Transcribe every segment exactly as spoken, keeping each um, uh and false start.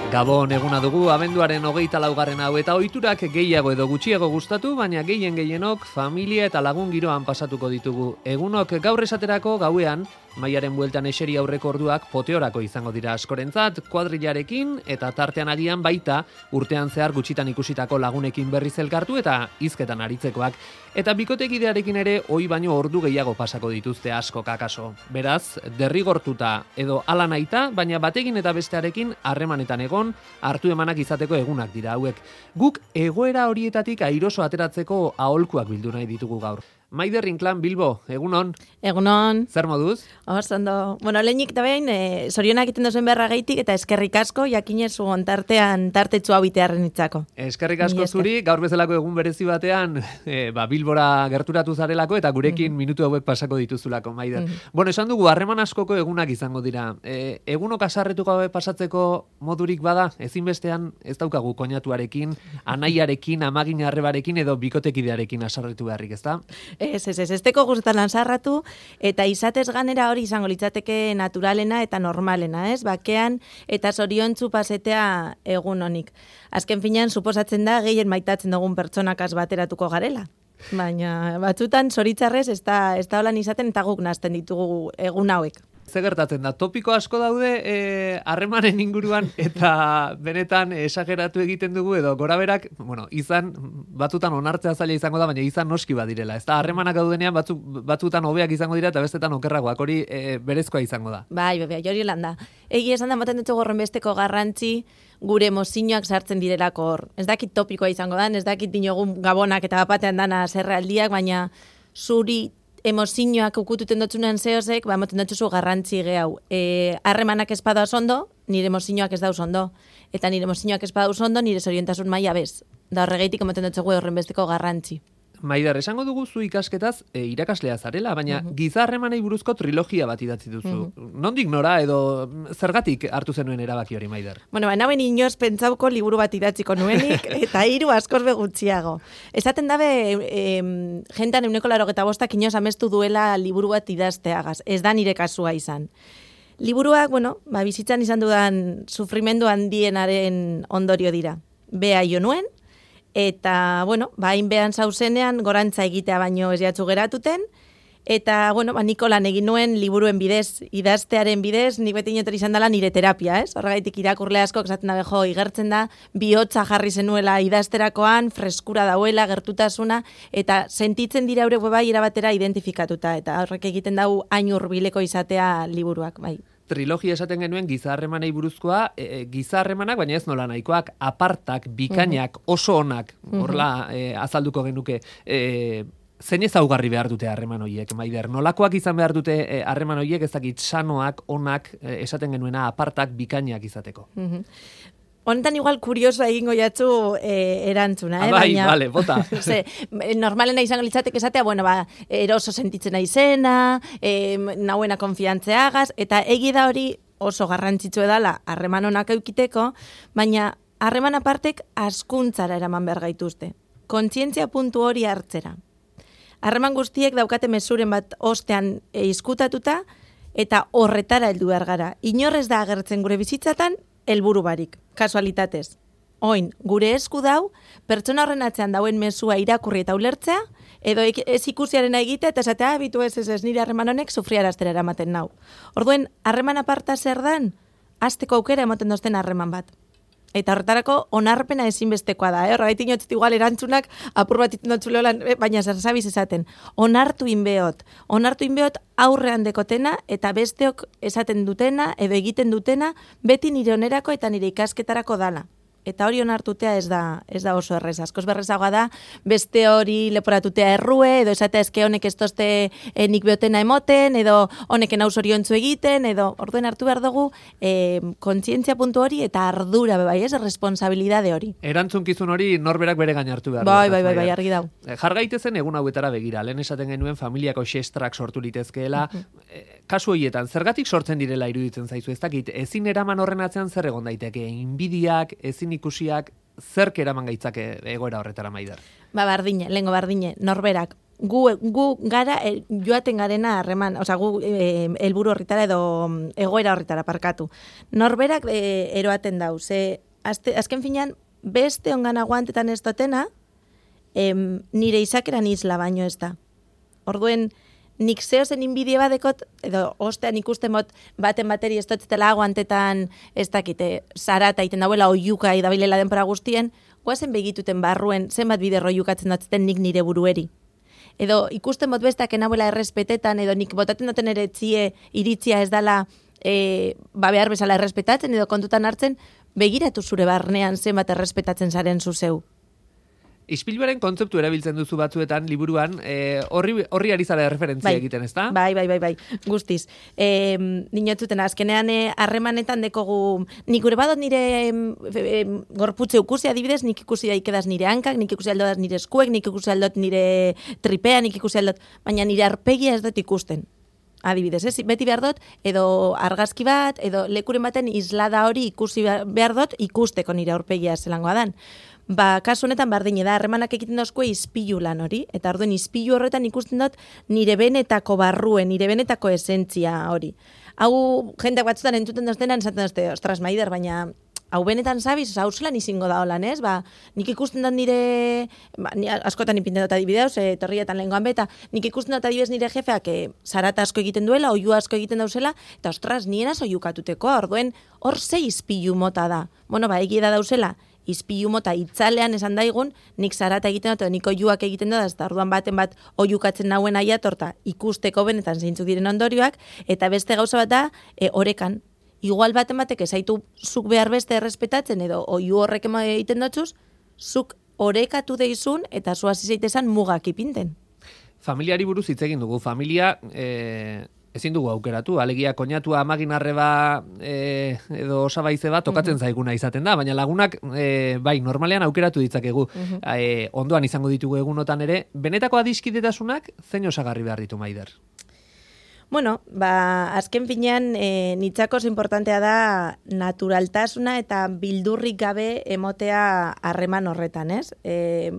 Gabon eguna dugu, abenduaren hogeita laugarren hau eta ohiturak gehiago edo gutxiago gustatu, baina gehien gehienok familia eta lagun giroan pasatuko ditugu. Egunok gaur esaterako gauean, maiaren bueltan eseri aurreko orduak poteorako izango dira askorentzat, kuadrilarekin eta tartean agian baita urtean zehar gutxitan ikusitako lagunekin berriz elkartu eta hizketan aritzekoak. Eta bikotekidearekin ere ohi baino ordu gehiago pasako dituzte asko kakaso. Beraz, derrigortuta edo hala nahita, baina batekin eta bestearekin harremanetan egon, hartu emanak izateko egunak dira hauek. Guk egoera horietatik airoso ateratzeko aholkuak bildu nahi ditugu gaur. Maider Inclán Bilbo, egunon. Egunon. Zer moduz? Ondo. Bueno, lehenik da behin, e, zorionak egiten duzuen beharra gaitik eta eskerrik asko, jakinezu ontartean tartetxu hau bitearren itzako. Eskerrik asko zuri, gaur bezalako egun berezi batean, e, ba, Bilbora gerturatu zarelako eta gurekin mm-hmm. minutu hauek pasako dituzulako, Maider. Mm-hmm. Bueno, esan dugu, harreman askoko egunak izango dira. E, egunok asarretu gabe pasatzeko modurik bada, ezinbestean ez daukagu koinatuarekin, anaiarekin, amagin arrebarekin edo bikotekidearekin asarretu beharrik, ezta? Ez, ez, ez, ez teko guztetan lanzarratu, eta izatez ganera hori izango litzateke naturalena eta normalena, ez? Bakean eta zoriontsu pasetea egun honik. Azken finean, suposatzen da, gehien maitatzen dugun pertsonakaz bateratuko garela. Baina batzutan, zoritzarrez, ez da, ez da holan izaten eta guk nazten ditugu egun hauek. Ze gertatzen da, topiko asko daude harremanen e, inguruan eta benetan esageratu egiten dugu edo goraberak, bueno, izan batzutan onartzea zaila izango da, baina izan noski badirela. Ez da, harremanak daudenean batzu, batzutan hobeak izango dira eta bestetan okerragoak, hori e, berezkoa izango da. Bai, bai, hori lan da. Egi esan da, moten dut gorren besteko garrantzi gure mozinoak sartzen direlako hor. Ez dakit topikoa izango da, ez dakit dinogun gabonak eta bapatean dana zerraldiak, baina zuri emozioak ukututen dutzunean zehozek, ba, moten dutzuzu garrantzi gehau. E, harremanak ez badauz ondo, nire emozioak ez dauz ondo. Eta nire emozioak ez badauz ondo, nire zoriontasun maila bez. Da horregeitik moten dutzugu horren besteko garrantzi. Maider, esango dugu zu ikasketaz e, irakaslea zarela, baina uh-huh. giza harremanei buruzko trilogia bat idatzi duzu. Uh-huh. Nondik nora edo zergatik hartu zenuen erabaki hori, Maider? Bueno, baina ben inoz pentsauko liburu bat idatziko nuenik, eta hiru askoz begutxiago. Esaten dabe, e, jentan euneko larogeta bostak inoz amestu duela liburu bat idazteagaz. Ez da nire kasua izan. Liburuak, bueno, ba, bizitzan izan dudan sufrimendu handienaren ondorio dira. Bea jo nuen, eta, bueno, ba, hainbean zauzenean gorantza egitea baino ez jatzu geratuten, eta, bueno, ba, niko lan egin nuen liburuen bidez, idaztearen bidez, nik beti inotor izan dela nire terapia, ez? Horregaitik irakurle asko, esaten dabe, jo, igertzen da, bihotza jarri zenuela idazterakoan, freskura dauela, gertutasuna, eta sentitzen dira eure bai erabatera identifikatuta, eta horrek egiten dau hain hurbileko izatea liburuak, bai. Trilogia esaten genuen giza harremanei buruzkoa, e, giza harremanak, baina ez nola nahikoak, apartak, bikainak, uh-huh. oso onak, horla e, azalduko genuke, e, zein ezaugarri behar dute harreman horiek, Maider? Nolakoak izan behar dute harreman horiek, ez dakit sanoak, onak, e, esaten genuena, apartak, bikainak izateko? Uh-huh. Honetan igual kurioso egingo jatzu eh, erantzuna, eh? Ah, bai, baina, vale, bota. Ze, normalena izango litzatek esatea, bueno, ba, eroso sentitzen naizena, eh, nauena konfiantzeagaz, eta egi da hori oso garrantzitsu edala harreman honak eukiteko, baina harreman apartek askuntzara eraman behar gaituzte. Kontzientzia puntu hori hartzera. Harreman guztiek daukate mezuren bat ostean izkutatuta, eta horretara heldu behar gara. Inorrez da agertzen gure bizitzatan, helburu barik, kasualitatez. Oin, gure esku dau, pertsona horren atzean dauen mezua irakurri eta ulertzea, edo ez ikusiarena egitea eta esatea, bitu ez ez ez nire harreman honek sufriaraztera eramaten nau. Orduen, harreman aparta zer dan, hasteko aukera ematen dozten harreman bat. Eta horretarako onarpena ezinbestekoa da, eh? Horregaitik inotzit igual erantzunak apur bat itenotxule holan, eh? Baina zerzabiz esaten. Onartu inbeot. Onartu inbeot aurrean dekotena eta besteok esaten dutena edo egiten dutena beti nire onerako eta nire ikasketarako dala. Eta hori onartutea ez da, ez da oso errez. Askoz berrezagoa da, beste hori leporatutea errue, edo esatea eske honek ez tozte e, nik beotena emoten, edo honeken hau zoriontzu egiten, edo orduen hartu behar dugu e, kontzientzia puntu hori eta ardura, bai, ez, responsabilidade hori. Erantzunkizun hori norberak bere gain hartu behar. Bai, bai, bai, bai, argi dau. Jargaitezen egun hauetara begira, lehen esaten genuen familiako xestrak sortu litezkeela, uh-huh. kasu horietan, zergatik sortzen direla iruditzen zaizu, ez dakit, ezin eraman horren atzean zer egon daiteke, inbidiak, ezin ikusiak, zerk eraman gaitzake egoera horretara, Maider? Ba, bardine, lehengo bardine, norberak gu, gu gara el, joaten garena harreman, osea, gu e, helburu horritara edo egoera horritara parkatu. Norberak e, eroaten dau, ze azte, azken finean, beste ongan aguantetan ez dotena, em, nire izakeran isla baino ez da. Orduen, nik zehozen inbidie badekot, edo ostean ikusten bot baten bateri ez dotzetela aguantetan ez dakite, zarata iten dauela oiuka idabilela denpora guztien, guazen begituten barruen zenbat bider oiukatzen datzeten nik nire burueri. Edo ikusten bot bestak enabuela errespetetan, edo nik botaten duten ere txie iritzia ez dala e, ba behar bezala errespetatzen, edo kontutan hartzen, begiratu zure barnean zenbat errespetatzen zaren zuzeu. Ispiluaren kontzeptu erabiltzen duzu batzuetan, liburuan, e, horri, horri ari zara referentzia bai, egiten, ezta? Bai, bai, bai, bai, guztiz. E, Dinotzuten, azkenean harremanetan dekogu, nik gure badot nire e, gorputze ukusi adibidez, nik ikusi daikedaz nire hankak, nik ikusi aldodaz nire eskuek, nik ikusi aldot nire tripea, nik ikusi aldot, baina nire arpegia ez dut ikusten. Adibidez, ez? Beti behar dut, edo argazki bat, edo lekuren baten islada hori ikusi behar dut, ikusteko nire aurpegia zelangoa dan. Ba, kasu honetan bardine da, harremanak egiten dauzko izpilu lan hori, eta orduen izpilu horretan ikusten dut nire benetako barruen, nire benetako esentzia hori. Hau, jendeak batzutan entzuten doztenan, esaten dozte, ostras, Maider, baina hau benetan zabiz, hau zelan izango da holan, ez? Ba, nik ikusten dut nire, ba, ni askotan ipinten dut adibideuz, e, torrietan lehengoan beta, nik ikusten dut adibidez nire jefeak e, zarata asko egiten duela, oiu asko egiten dauzela, eta ostras, nien azo oiukatuteko, orduen, hor ze izpilu mota da. Bueno, ba, egia da dauzela, izpilu mota itzalean esan daigun, nik zarata egiten dut, nik oiuak egiten dut, eta orduan baten bat oiukatzen nauen aiatorta ikusteko benetan zeintzuk diren ondorioak, eta beste gauza bat da, e, orekan. Igual baten batek ezaitu zuk behar beste errespetatzen, edo oiu horrek egiten dutxuz, zuk orekatu deizun, eta zu hasi zaitezan mugak ipinten. Familiari buruz hitz egin dugu. Familia e, ezin dugu aukeratu. Alegia koñatua amagin arreba e, edo osabaize bat tokatzen uh-huh. zaiguna izaten da, baina lagunak e, bai, normalean aukeratu ditzakegu. Uh-huh. E, ondoan izango ditugu egunotan ere. Benetako adiskidetasunak zein osagarri behar ditu, Maider? Bueno, ba, azken finean e, nitzako importantea da naturaltasuna eta bildurrik gabe emotea harreman horretan, ez? E,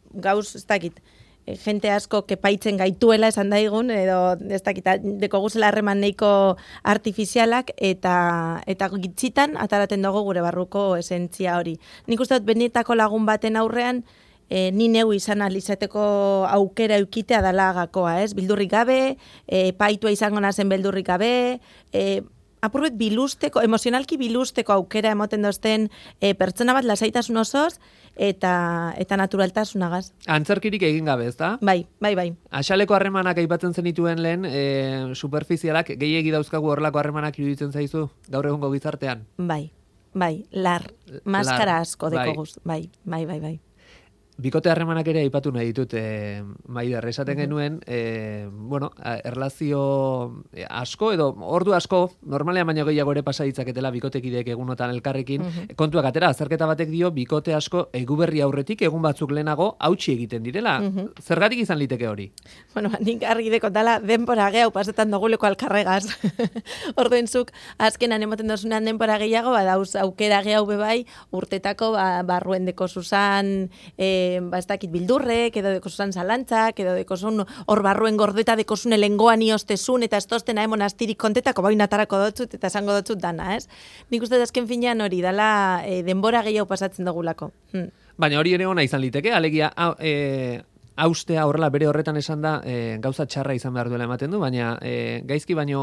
gauz, ez dakit, e, jente asko kepaitzen gaituela esan daigun, edo ez dakit, deko guzela harreman neiko artifizialak, eta eta gitzitan ataraten dugu gure barruko esentzia hori. Nik uste dut benetako lagun baten aurrean, E, ni neu izan alizateko aukera eukitea dala gakoa, ez? Bildurrik gabe, e, paitua izango nazen beldurrik gabe, e, apurbet bilusteko, emozionalki bilusteko aukera emoten dozten e, pertsona bat lasaitasun osoz, eta eta naturaltasunagaz. Antzerkirik egin gabe, ezta? Bai, bai, bai. Axaleko harremanak aipatzen zenituen lehen, e, superfizialak, gehiegi dauzkagu horrelako harremanak iruditzen zaizu, gaur egungo gizartean? Bai, bai, lar, maskara lar, asko deko guz, bai, bai, bai, bai. Bikote harremanak ere aipatu nahi ditut, e, Maider, esaten genuen, e, bueno, erlazio asko edo ordu asko, normalean baino gehiago ere pasa ditzaketela bikotekideek egunotan elkarrekin, uh-huh. kontuak atera, azterketa batek dio, bikote asko eguberri aurretik egun batzuk lehenago hautsi egiten direla. Uh-huh. Zergatik izan liteke hori? Bueno, nik argi dekotala denpora gehiago pasetan doguleko alkarregaz. Orduenzuk, azkenan emoten dozunean denpora gehiago, badauz aukera gehiago bebai, urtetako ba, barruen deko zuzan, e, ba ez dakit bildurrek, edo dekozun zalantzak, edo dekozun hor barruen gordeta dekozun elengoan iostezun, eta ez tostena emon astirik kontetako bain atarako dotzut, eta esango dotzut dana, ez? Nik uste azken finean hori, dala e, denbora gehiago pasatzen dugulako. Hm. Baina hori ere ona izan liteke, alegia, e, austea horrela bere horretan esan da, e, gauza txarra izan behar duela ematen du, baina e, gaizki baino,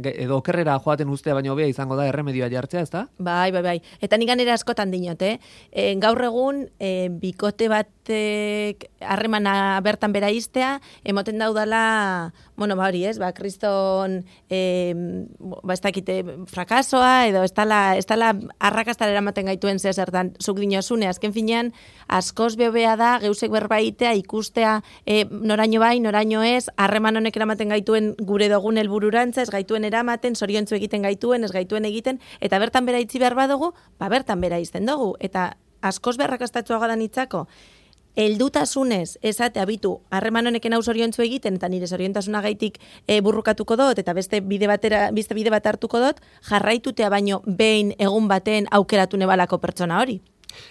edo okerrera joaten ustea baino hobea izango da erremedioa jartzea, ez da? Bai, bai, bai. Eta nik ganera askotan dinot, eh? E, gaur egun, e, bikote batek harremana bertan bera iztea, emoten daudala, bueno, ba hori, ez, ba, kriston, e, ba, ez dakite, frakasoa, edo ez tala, ez tala arrakastara eramaten gaituen zezertan, zuk dinozune, azken finean, askoz behobea da, geusek berbaitea, ikustea, e, noraino bai, noraino ez, harreman honek eramaten gaituen gure dogun helbururantza, ez gaituen eramaten, zoriontzu egiten gaituen, ez gaituen egiten, eta bertan bera itzi behar badugu, ba, bertan bera izten dugu, eta askoz berrakastatxoa gadan itzako, heldutasunez esate abitu harreman honeken hau zoriontzu egiten eta nire zoriontasuna gaitik e, burrukatuko dut eta beste bide batera beste bide bat hartuko dut jarraitutea baino behin egun baten aukeratu nebalako pertsona hori.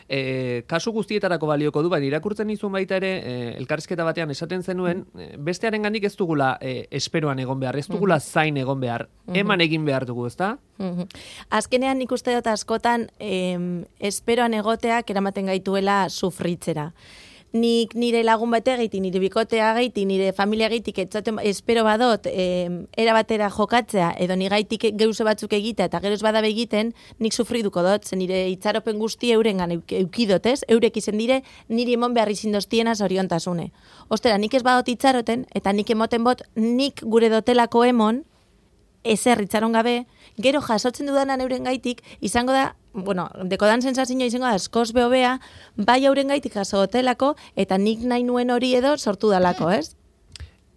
E, kasu guztietarako balioko du, baina irakurtzen izun baita ere, e, elkarrizketa batean esaten zenuen, e, bestearen gandik ez dugula e, esperoan egon behar, ez dugula zain egon behar, eman egin behar dugu, ezta? Azkenean nik uste dut askotan em, esperoan egoteak eramaten gaituela sufritzera. Nik nire lagun bate gaitik, nire bikotea gaitik, nire familia gaitik, etzaten espero badot, eh, era batera jokatzea, edo ni gaitik geuse batzuk egitea, eta geroz badabe egiten, nik sufriduko dut, zen nire itxaropen guzti eurengan eukidot, ez? Eurek izen dire, niri emon behar izindoztiena zoriontasune. Ostera, nik ez badot itxaroten, eta nik emoten bot, nik gure dotelako emon, ezer itxaron gabe, gero jasotzen dudanan euren gaitik, izango da, bueno, dekodan sensazioa izango da askoz behobea, bai euren gaitik jaso hotelako, eta nik nahi nuen hori edo sortu dalako, ez?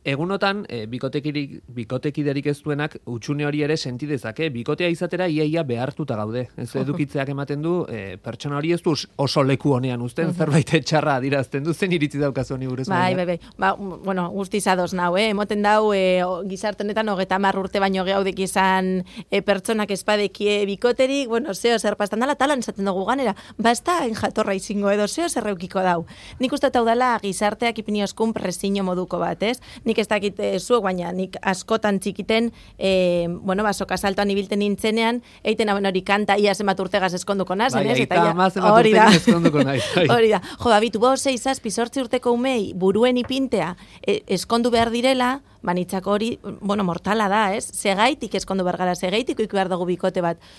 Egunotan, e, bikotekirik, bikotekiderik ez duenak utxune hori ere senti dezake, bikotea izatera iaia behartuta gaude. Ez edukitzeak ematen du, e, pertsona hori ez du oso leku honean uzten, zerbait txarra adirazten du, zen iritzi daukazu honi buruz. Bai, bai, bai. Ba, bueno, guztiz ados nau, eh? Emoten dau, e, gizarte honetan hogeta hamar urte baino gehaudek izan e, pertsonak espadekie bikoterik, bueno, zeo zer pastan dala, talan esaten dugu ganera, ba ez da jatorra izingo edo, zeo zer reukiko dau. Nik uste hau dala gizarteak ipinioskun presiño moduko bat, ez? Nik ez dakit e, zuek, baina nik askotan txikiten, e, bueno, basoka saltoan ibilten nintzenean, eiten hauen hori kanta, ia zenbat urtegaz eskonduko nazen, ez? Eta ia, hori da, eskonduko nahi. Hori da, jo, babitu, bo, sei, zazpi, sortzi urteko umei, buruen ipintea, e, eskondu behar direla, banitzako hori, bueno, mortala da, ez? Segaitik eskondu behar gara, segaitik oiku behar dugu bikote bat.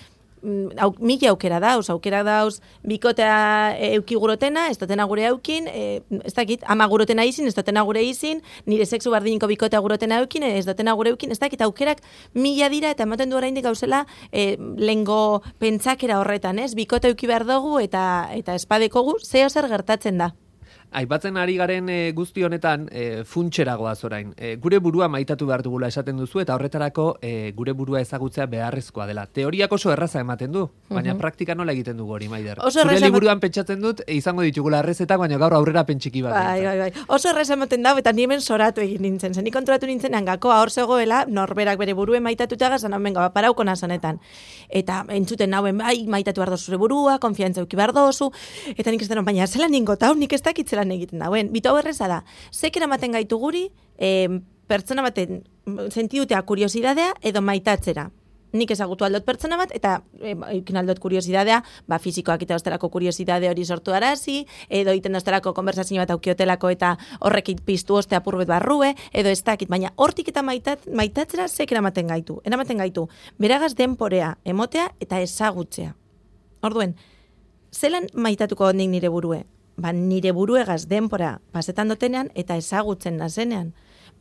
Au, mila aukera dauz, aukera dauz bikotea euki gurotena, ez dutena gure aukin, e, ez dakit, ama gurotena izin, ez dutena gure izin, nire sexu bardiniko bikotea gurotena eukin, ez dutena gure eukin, ez dakit, aukerak mila dira eta ematen du oraindik gauzela e, lengo pentsakera horretan, ez? Bikote euki behar dugu eta, eta espadekogu, zeo zer gertatzen da. Aipatzen ari garen e, guzti honetan e, funtxeragoaz orain. E, gure burua maitatu behar dugula esaten duzu eta horretarako e, gure burua ezagutzea beharrezkoa dela. Teoriak oso erraza ematen du, baina uh-huh. praktika nola egiten dugu hori, Maider? Zure liburuan pentsatzen dut, e, izango ditugula errezetak, baina gaur aurrera pentsiki bat. Bai, bai, bai. Oso erraza ematen da, eta ni hemen soratu egin nintzen. Zen, ni konturatu nintzen gakoa hor zegoela, norberak bere buruen maitatuta gazan, hau benga, parauko nazonetan. Eta entzuten nauen, bai, maitatu behar dozu zure burua, konfiantza euki behar dozu, eta nik ez denon, baina zelan ningotau, nik ez dakit zelan egiten dauen. Bitu hau erreza da, zekera maten gaitu guri, e, pertsona baten sentidutea kuriosidadea edo maitatzera. Nik ezagutu aldot pertsona bat, eta ikin aldot kuriosidadea, ba, fizikoak eta osterako kuriosidade hori sortu arazi, edo iten osterako konversazio bat aukiotelako eta horrekit piztu oste apurbet barrue, edo ez dakit, baina hortik eta maitat, maitatzera zekera maten gaitu. Eramaten gaitu, beragaz denporea, emotea eta ezagutzea. Orduen, zelan maitatuko nik nire burue? Ba, nire buruegaz denpora pasetan dotenean eta ezagutzen nazenean.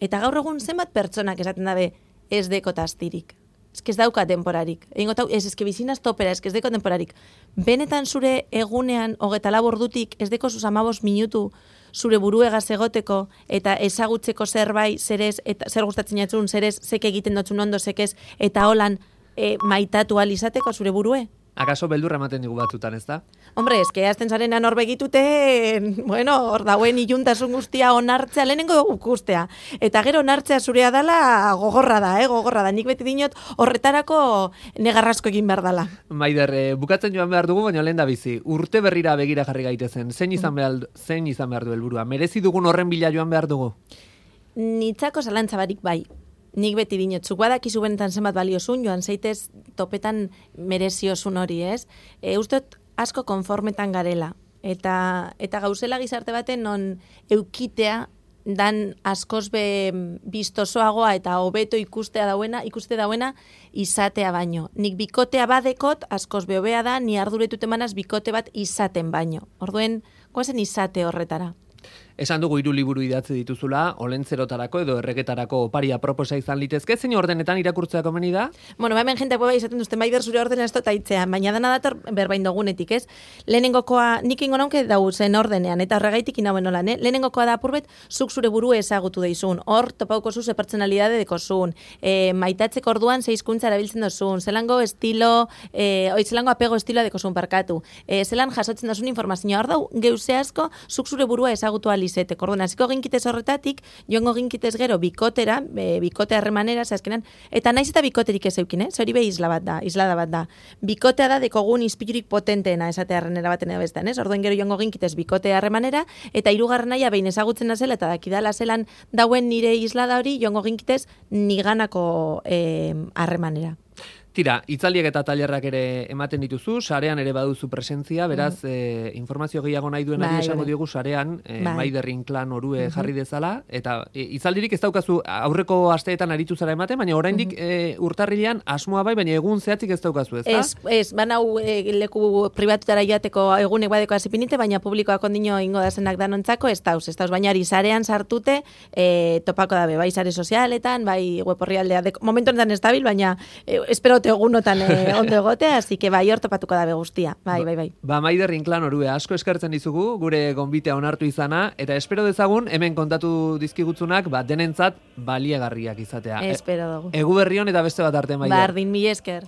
Eta gaur egun zenbat pertsonak esaten dabe ez deko tastirik. Ez ez dauka denporarik. Egingo tau, ez ezke bizinaz topera, ez ez deko denporarik. Benetan zure egunean hogeta labordutik ez deko zuzamabos minutu zure buruegaz egoteko eta ezagutzeko zerbait zerez, eta zer gustatzen jatzun, zerez, zek egiten dotzun ondo, zekez, eta holan e, maitatu alizateko zure burue. Akaso beldurra ematen digu batzutan, ez da? Hombre, eske azten zarenan hor begitute, bueno, hor dauen iluntasun guztia onartzea, lehenengo ukustea. Eta gero onartzea zurea dala gogorra da, eh, gogorra da. Nik beti dinot horretarako negarrasko egin behar dala. Maider, eh, bukatzen joan behar dugu, baina lehen da bizi. Urte berrira begira jarri gaitezen. Zein izan behar, zein izan behar du helburua? Merezi dugun horren bila joan behar dugu? Nitzako zalantza barik bai. Nik beti dinot, zuk badakizu benetan zenbat baliozun, joan zeitez topetan mereziozun hori, ez? E, ustot asko konformetan garela. Eta, eta gauzela gizarte baten non eukitea dan askoz be biztosoagoa eta hobeto ikustea dauena, ikuste dauena izatea baino. Nik bikotea badekot askoz be hobea da, ni arduretut emanaz bikote bat izaten baino. Orduen, goazen izate horretara. Esan dugu hiru liburu idatzi dituzula, olentzerotarako edo erregetarako oparia proposa izan litezke, zein ordenetan irakurtzea komeni da? Bueno, hemen jente bai izaten duzten Maider zure ordena ez dut aitzean, baina dana dator berbain dogunetik, ez? Lehenengokoa, nik ingo naunke dau zen ordenean, eta horregaitik inauen olan, eh? Lehenengokoa da apurbet, zuk zure burue ezagutu deizun, hor topauko zu ze pertsonalidade dekozun, e, maitatzeko orduan ze hizkuntza erabiltzen dozun, zelango estilo, e, oi, zelango apego estiloa dekozun parkatu, e, zelan jasotzen dozun informazioa, hor dau geuse asko, zuk zure burua ezagutu ahal alizetek. Orduan, hasiko ginkitez horretatik, joango ginkitez gero bikotera, e, bikote harremanera, azkenan, eta naiz eta bikoterik ez eukin, eh? Zori be isla bat da, islada bat da. Bikotea da dekogun izpilurik potenteena esate harrenera baten edo bestean, ez? Orduan gero joango ginkitez bikote harremanera, eta hirugarren naia behin ezagutzen nazela, eta dakidala zelan dauen nire islada hori, joango ginkitez niganako harremanera. Tira, itzaldiek eta tailerrak ere ematen dituzu, sarean ere baduzu presentzia, beraz, mm. e, informazio gehiago nahi duen ari esango diogu sarean, e, Maider Inclán orue mm-hmm. jarri dezala, eta e, itzaldirik ez daukazu aurreko asteetan aritu zara ematen, baina oraindik mm-hmm. e, urtarrilean asmoa bai, baina egun zehatzik ez daukazu, ez da? Ez, ez, banau e, leku pribatutara joateko egunek badeko azipinite, baina publikoak ondino ingo dazenak danontzako, ez dauz, ez dauz, baina ari sarean sartute, e, topako dabe, bai sare sozialetan, bai web orrialdea, momentu honetan ez dabil, baina e, espero egunotan eh, ondo egotea, así que bai, hor topatuko dabe guztia. Bai, bai, bai. Ba, Maider Inclán orue, asko eskertzen dizugu, gure gonbitea onartu izana, eta espero dezagun, hemen kontatu dizkigutzunak, ba, denentzat baliegarriak izatea. Espero dugu. Egu berrion eta beste bat arte, Maider. Bardin, mi esker.